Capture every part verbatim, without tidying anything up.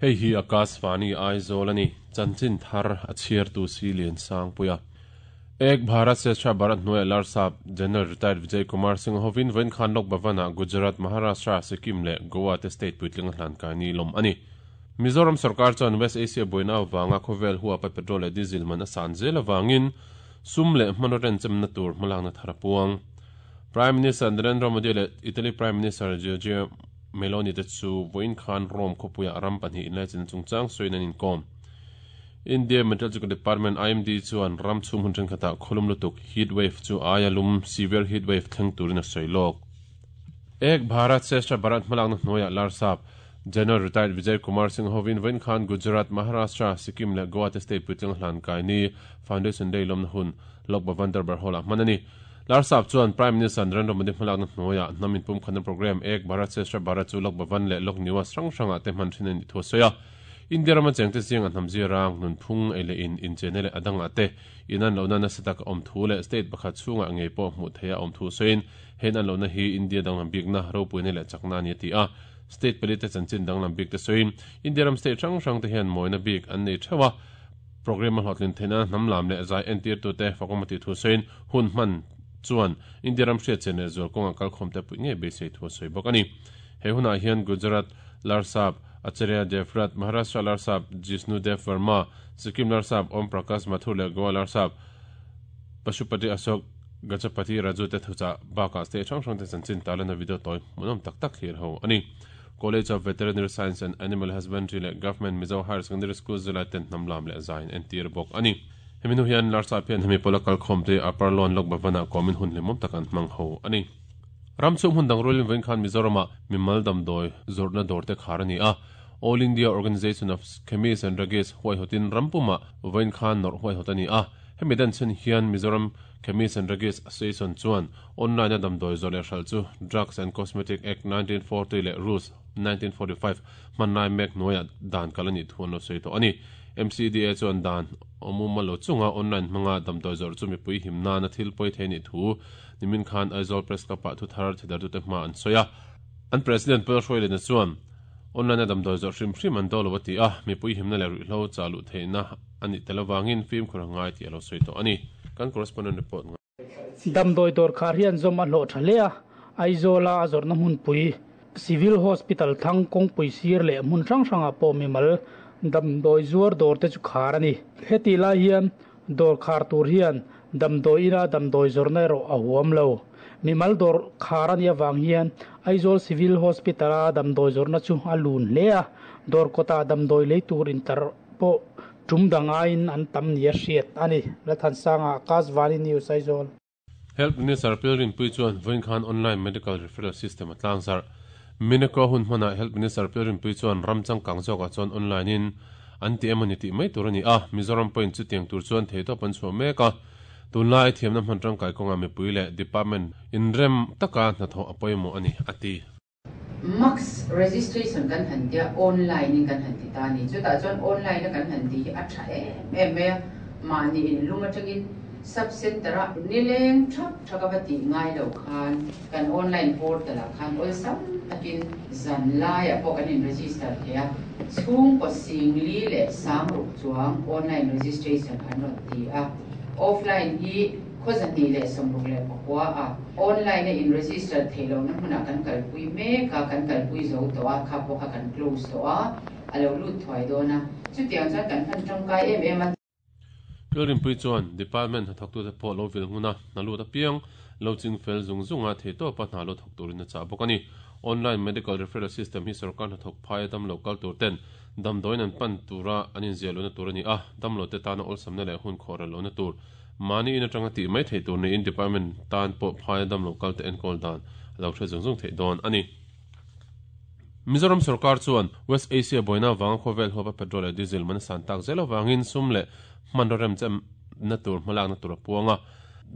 Hei hi Akashvani Aizawl ani chanchin thar a chhiar tu si lian sang puia Ek Bharat Shreshtha Bharat hnuai Larsap General Retired Vijay Kumar Singh hovin vawiin khan Lok Bhavan-ah Gujarat, Maharashtra, Sikkim leh Goa te state puitling a hlan kai ni lawm a ni. Mizoram sarkar chuan West Asia buaina avanga khawvel huapa petrol leh diesel man a san zel avangin sum leh hmanraw renchemna tur hmalakna thar a puang. Prime Minister Narendra Modi leh Italy Prime Minister Giorgia Meloni te chu vawiin khan Rome khawpuiah ram pahnih inlaichin chungchang sawiin an inkawm. India Meteorological Department I M D chuan ram chhung hun thenkhatah khawlum lutuk heat wave chu aia lum severe heat wave thleng turin a sawi lawk. Ek Bharat Shreshtha Bharat hmalakna hnuaiah Larsap General Retired Vijay Kumar Singh hovin vawiin khan Gujarat, Maharashtra, Sikkim leh Goa te state puitling hlan kai ni Foundation Day lawmna hun Lok Bhavan Darbar Hall-ah hman a ni. Larsap chuan Prime Minister Narendra Modi hmalakna hnuaiah hnam inpum khatna program Ek Bharat Shreshtha Bharat chu Lok Bhavan leh Lok Niwas hrang hrangah te hman thin a ni thu a sawi a. India rama chengte chiang a hnam zirang nun phung ei leh in inchena leh adangah te in an lohna nasa tak a awm thu leh state pakhat chhungah ngei pawh hmuh theih a awm thu sawiin hen an lohna hi India danglam bikna ropuina leh chakna a ni a ti a. State pali te chanchin danglam bik te sawiin India ram state hrang hrang te hian mawina bik an nei theuh a. Program a hlawhtlin theihna hnam lam leh zai entir tu te fakawm a tih thu sawiin hun hman chuan India ram hriat chen leh zual kawnga kalkhawm te pui ngei beisei thu a sawi bawk a ni. He hunah hian Gujarat Larsap Acharya Devvrat, Maharashtra Larsap Jishnu Dev Verma, Sikkim Larsap Om Prakash Mathur leh Goa Larsap Pashupati Ashok Gajapati Raju te thuchah bakah state hrang hrang te chanchin tarlana video tawi hmuhnawm tak tak thlir ho a ni. College of Veterinary Science and Animal Husbandry leh Government Mizo Higher Secondary School zilai ten hnam lam leh zaiin entir bawk a ni. Hemi hnu hian Larsap hian hemi pawla kalkhawm te Upper Lawn Lok Bhavan-ah kawmin hun hlimawm tak an hmang ho a ni. Ram chhung hmun dang rualin vawiin khan Mizoramah mimal damdawi zawrhna dawr te khar a ni a. All India Organisation of Chemists and Druggists huaihawtin rampumah vawiin khan nawrh huaihawt a ni a. Hemi dan chhan hian Mizoram Chemists and Druggists Association chuan online a damdawi zawrh leh hralh chu Drugs and Cosmetic Act nineteen forty leh Rules nineteen forty five hmanlai mek hnuaiah dan kal a nih thu an lo sawi tawh a ni. M C D A chuan dan awmuma lo chunga online hmanga damdawi zawrh chu mipui him nana thil pawi thei nih thu nimin khan Aizawl Press Club-ah thu thar thidar tute hma an sawi a. An President Paul Hruailena chuan online a damdawi zawrh hrim hrim an do lo a ti a, mipui himna leh ruihhlo chaluh theihna ani tel awangin film khur ngai ti a lo sawi tawh a ni. Kan correspondent report nga. Damdawi dawr khar hian zawm a hlawh tha hle a, Aizawla a zawrhna hmunpui Civil Hospital thlang kawngpui sir leh hmun hrang hrangah pawh mimal damdawi zuar dawr te chu khar a ni. Heti lai hian dawr khar tur hian damdawi ina damdawi zawrhna erawh a huam lo. Mimal dawr khar a ni awang hian Aizawl Civil Hospital a damdawi zawrhna chu a lun hle a, dawr kawta damdawi lei tur intar pawh tum dangaiin an tam ni a hriat a ni. Lathansanga Akashvani News Aizawl. Health Minister Pilrin Pui chuan vawiin khan online medical referral system a tlangzar. Mineko hun hmanah Health Minister Pilrin Pui chuan ram changkang zawkah chuan online in an ti emawni tih mai tur a ni a. Mizoram point chu tiang tur chuan thei tawp an chhuah mek a. Tunlai thiamna hman tangkai kawnga mipui leh department inrem taka hnathawh a pawimawh a ni a ti. Max registration kan han tia online in kan han ti ta ni. Chutah chuan online a kan han ti hi a tha em em mai a. Mahni in lum atangin sub center a nileng thap thaka va ti ngai lo khan kan online portal ah khan ol sam takin zan lai a pawh kan in register thei a. Chhung kaw sing li leh sang ruk chuang online registration an rawn ti a. Offline hi khawzahnih leh sawmruk leh pakua a online a in register thei lo na hmunah kan kalpui mek a, kan kalpui zo tawh a, kha pawh kha kan close tawh a, a lo lut thuai dawn a. Chutiang chuan kan hman tangkai em em a. Pilrin Pui chuan department hnathawk tute pawh lo vil hmuna hna lut apiang lo ching fel zung zunga thei tawpa hna lo thawk turin a chah bawk a ni. Online medical referral system hi sarkar hnathawk phai a dam lo kal tur ten damdawiin an pan tura an inziah lohna tur a ni a, dam lo te tana awlsamna leh hun khawh ral lohna tur mani in atanga tih mai thei tur niin department tan pawh phai a dam lo kal te enkawl dan a lo hre zung zung theih dawn a ni. Mizoram sarkar chuan West Asia buaina wanga khawvel huapa petrol leh diesel man a san tak zel awangin sum leh hmanraw rem chem na tur hmalakna tur a puanga.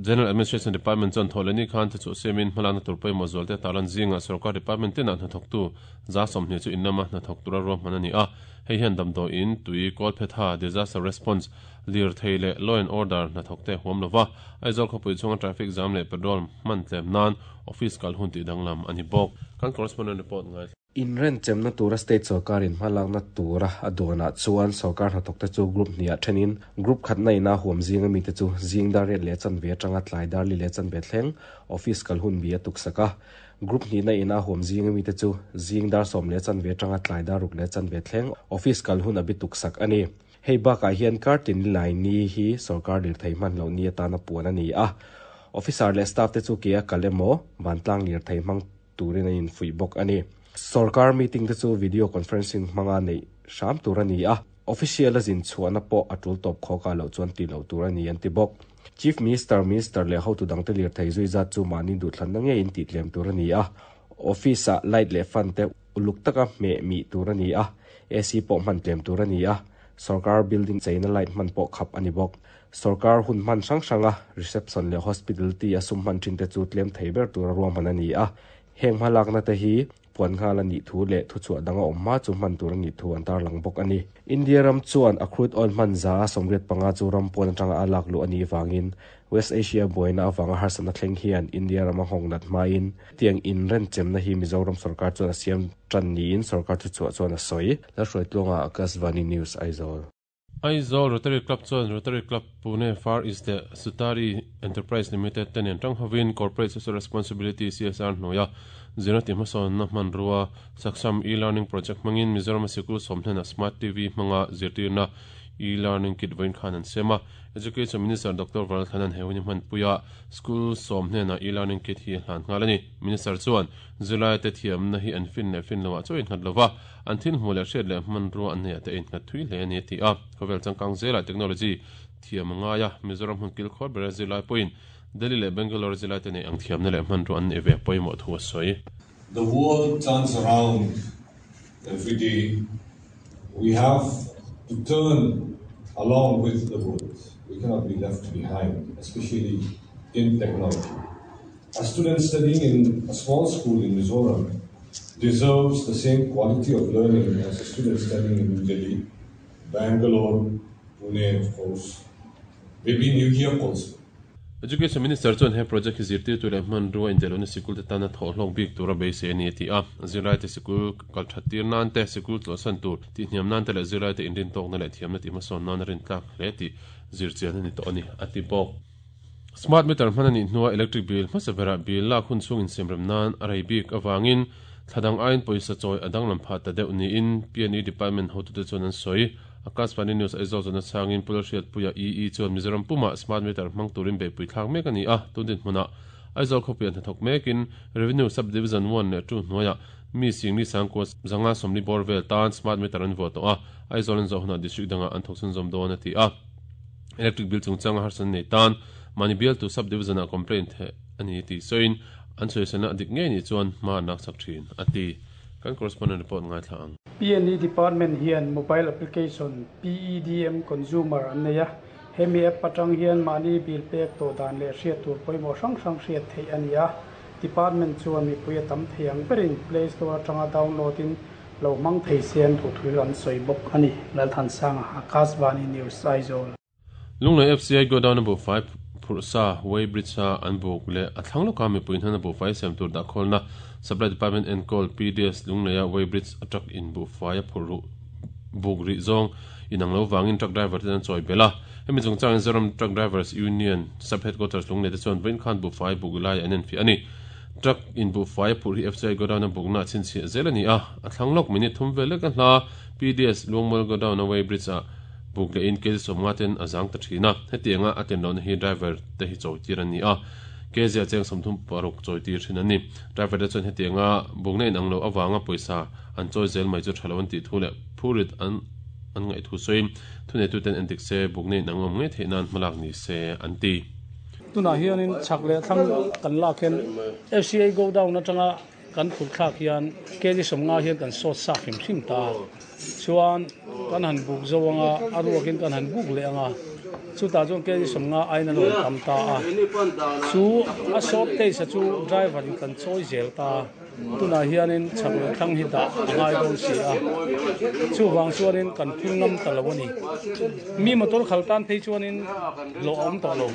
General Administration Department chuan thawhleh ni khan thu chu siamin hmalakna tur pawimawh zual te tarlan zinga sarkar department tinah hnathawk tu za sawmhnih chu inlama hnathawk tura ruahman a ni a. Hei hian damdawiin tui kawlphetha disaster response lir thei leh law and order hnathawk te huam lova. Aizawl khawpui chhunga traffic jam leh petrol hman tlem nan office kal hun tih danglam a ni bawk. Kan correspondent report ngai. In ren chemna tura state sarkar in hmalakna tura a duanah chuan sarkar hnathawk te chu group hniah thenin group khatna ina huam zinga mi te chu zing dar riat leh chanve atanga tlai dar li leh chanve thleng office kal hun bi a tuk sak a group hnihna ina huam zinga mi te chu zing dar sawm leh chanve atanga tlai dar ruk leh chanve thleng office kal hun a bi tuk sak ani hei bakah hian kartin lai ni hi sarkar lirthei hman loh ni atana puan ani a officer leh staff te chu ke a kal emaw vantlang lirthei hmang turin a infuih bawk ani sarkar meeting te chu video conferencing hmanga nei hram tur ani a official a zin chhuahna pawh a tul tawp khawka loh chuan ti lo tur ani an ti bawk chief minister minister leh hotu dangte lirthei zui zat chu mahni duhthlanna ngei in tih tlem tur ani a office ah light leh fan te uluk taka hmeh mi tur ani a A C pawh hman tlem tur ani a sarkar building cheina light hman pawh khap ani bawk sarkar hun hman hrang hranga reception leh hospitality a sum hman thin te chu tlem thei ber tur a ruahman ani a heng hmalakna te hi puan nghal ani thu leh thu chhuah danga awm hma chu hman tur ani thu an tarlang bawk ani India ram chuan a crude oil hman za sawmriat panga chu ram pawn atanga a lak luh ani wangin West Asia buaina awanga harsatna thleng hian India rama nghawng nat hmain tiang in ren chemna hi Mizoram sarkar chuan a siam tan niin sarkar thu chhuah chuan a sawi la hruai tluanga Akashvani News Aizawl. Aizawl Rotary Club chuan Rotary Club Pune Far East leh Sutari Enterprise Limited te nen tang hovin Corporate Social Responsibility C S R hnuaia zirna ti hmasawnna hmanrua Saksham e-learning project hmangin Mizoram sikul sawm hnenah Smart T V hmanga zirtirna e-learning kit vawiin khan an sem a Education Minister Doctor Vanlalthlana'n he hun hi hmanpuia school sawm hnenah e-learning kit hi a hlan nghal ani Minister chuan zirlai te thiamna hi an fin leh fin loah chaw innghat lova an thil hmuh leh hriat leh hmanrua an nei te innghat thui hle ani a ti a khawvel changkang zela technology thiam angaia Mizoram hun kil khawr bera zirlai pawhin Delhi leh Bangalore zirlai te nei ang thiamna leh hmanrua an nei ve pawimawh thu a sawi. The world turns around every day. We have to turn along with the world. We cannot be left behind, especially in technology. A student studying in a small school in Mizoram deserves the same quality of learning as a student studying in New Delhi, Bangalore, Pune, of course, maybe New York also. Education Minister chuan he project hi zirtir tu leh hmanrua indelona sikul te tana thawh hlawk bik tura beisei ani a ti a zirlai te sikul kal that tir nan te sikul tlawhsan tur tih hniam nan te leh zirlai te inrin tawkna leh thiamna tih hmasawn nan a rin tlak hle tih zirchian ani tawh ani a ti bawk smart meter hman ani hnuah electric bill hmasa berah bill lak hun chung insiamrem nan a rei bik awangin thladang aiin pawisa chawi a danglam phah ta deuh niin P and E department hotute chuan an sawi Akashvani News Aizawl chuan a changin Pulal Hriatpuia E E chuan Mizoram puma smart meter hmang turin beihpui thlak mek ani a tundin hmuna Aizawl khawpui an hnathawk mekin Revenue Sub Division one leh two hnuaiah mi singli sangkua zanga sawmli bawr vel tan smart meter an vuah tawh a Aizawl an zawh hunah district dangah an thawk chhunzawm dawn a ti a electric bill chungchanga harsan nei tan mani bial tu sub division ah complaint the ani ti soin an sawisana dik ngei ni chuan hma an lak sak thin a ti kan correspondent report ngai thla ang. P and E Department hian mobile application P E D M Consumer an nei a hemi app atang hian mahni bill pek to dan leh hriat tur pawimawh hrang hrang hriat theih ani a department chuan mipui a tam thei ang berin Play Store atanga download in lo hmang thei sian thu thil an sawi bawk ani Lalthansanga Akashvani News Aizawl. Lunglei F C I godown bu fai phursa weighbridge a an buk leh a thlang lawka mipui hnan a bu fai siam tur dah khawlna Supply Department enkawl P D S Lungleia weighbridge a truck in bu fai a phur ru buk ri zawng inang lo wangin truck driver te an chawi bela hemi chungchang Zoram Truck Drivers Union Sub Headquarters Lunglei te chuan vawiin khan bu fai buk lai an en fi ani truck in bu fai phur hi F C I godown a bukna chin chhi zel ani a a thlang lawk minute thum vel lek a hla P D S Luangmual godown a weighbridge a buk le in kg sawmnga ten a zang ta thina hetianga a ten lohna hi driver te hi chawi tir ani a kg a cheng sawmthum paruk chawi tir thin ani driver te chuan hetianga bukna in ang lo awanga pawisa an chawi zel mai chu thalo an tih thu leh phurit an an ngai thu sawi thunei tu ten an dik se bukna in ang awm ngei theih nan hmalak ni se an ti. Tunah hianin chhak leh thlang kan lak hian F C I go down atanga kan phur thlak hian kg sawmnga hian kan sawt sak hrim hrim ta chuan kan han buk zo anga a ruakin kan han buk leh anga chutah chuan kg sawmnga ain an rawn tam ta a chu a sawt te sa chu driver in kan chawi zel ta tunah hianin chhak leh thlang hi dah a ngai dawn si a chu wang chuanin kan phur ngam ta lo ani mi motor khal tan phei chuanin lo awm tawh lo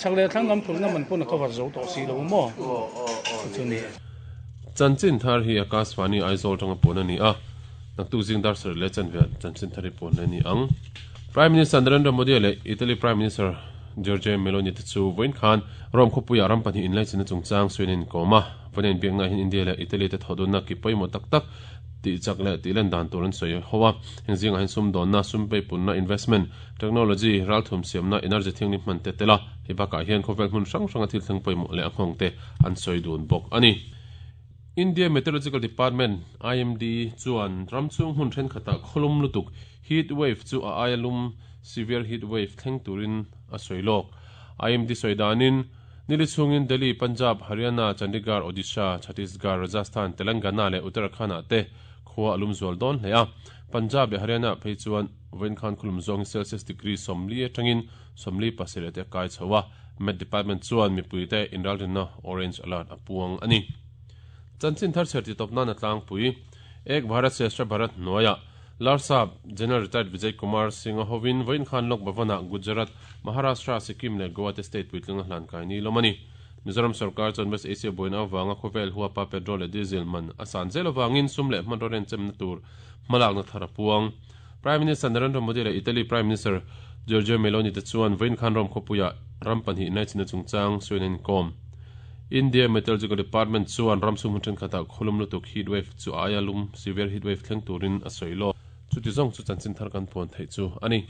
chhak leh thlang lam phur na man pawn a cover zo tawh si lo maw chu ni. Chanchin thar hi Akashvani Aizawl tanga pawna ni a. Naktuk zing dar sarih leh chanve chanchin thar hi pawn le ni ang. Prime Minister Narendra Modi leh Italy Prime Minister Giorgia Meloni te chu vawiin khan Rome khawpuiah ram pahnih inlaichinna chungchang sawiin an inkawm a. Vawiin an inbiakna hian India leh Italy te thawhdunna ki pawimawh tak tak tih chak leh tih len dan tur an sawi ho a. Heng zingah hian sumdawnna, sum peipunna, investment, technology, ralthum siamna, energy thianghlim hman te tel a. Hei bakah hian khawvel hmun hrang hranga thil thleng pawimawh leh a nghawng te an sawi dun bawk a ni. India Meteorological Department, I M D, chuan ram chhung hmun thenkhatah khawlum lutuk, heat wave, chu a aia lum, severe heat wave, thleng turin a sawi lawk. I M D sawi danin, nili chhungin Delhi, Punjab, Haryana, Chandigarh, Odisha, Chhattisgarh, Rajasthan, Telangana leh Uttarakhand-ah te khua a lum zual dawn hle a. Punjab leh Haryana phei chuan vawiin khan khawlum zawngin Celsius degree sawmli atangin sawmli pasarih te a kai chho a. Met Department chuan mipuite inralrinna orange alert a puang a ni. Chanchin thar chher titawp nan a tlangpui. Ek Bharat Shrestha Bharat hnuaiah Larsap General Retired Vijay Kumar Singh a hovin vawiin khan Lok Bhavan-ah Gujarat, Maharashtra, Sikkim leh Goa te state puitling a hlan kai ni lawm a ni. Mizoram sarkar chuan West Asia buaina avanga khawvel huapa petrol leh diesel man a san zel avangin sum leh hmanraw renchemna tur hmalakna thar a puang. Prime Minister Narendra Modi leh Italy Prime Minister Giorgia Meloni te chuan vawiin khan Rome khawpuiah ram pahnih inlaichinna chungchang sawiin an inkawm. India Meteorological Department chuan ram chhung hmun thenkhatah khawlum lutuk heat wave chu a aia lum, severe heat wave, thleng turin a sawi lawk. Chuti zawng chu chanchin thar kan puan theih chu a ni.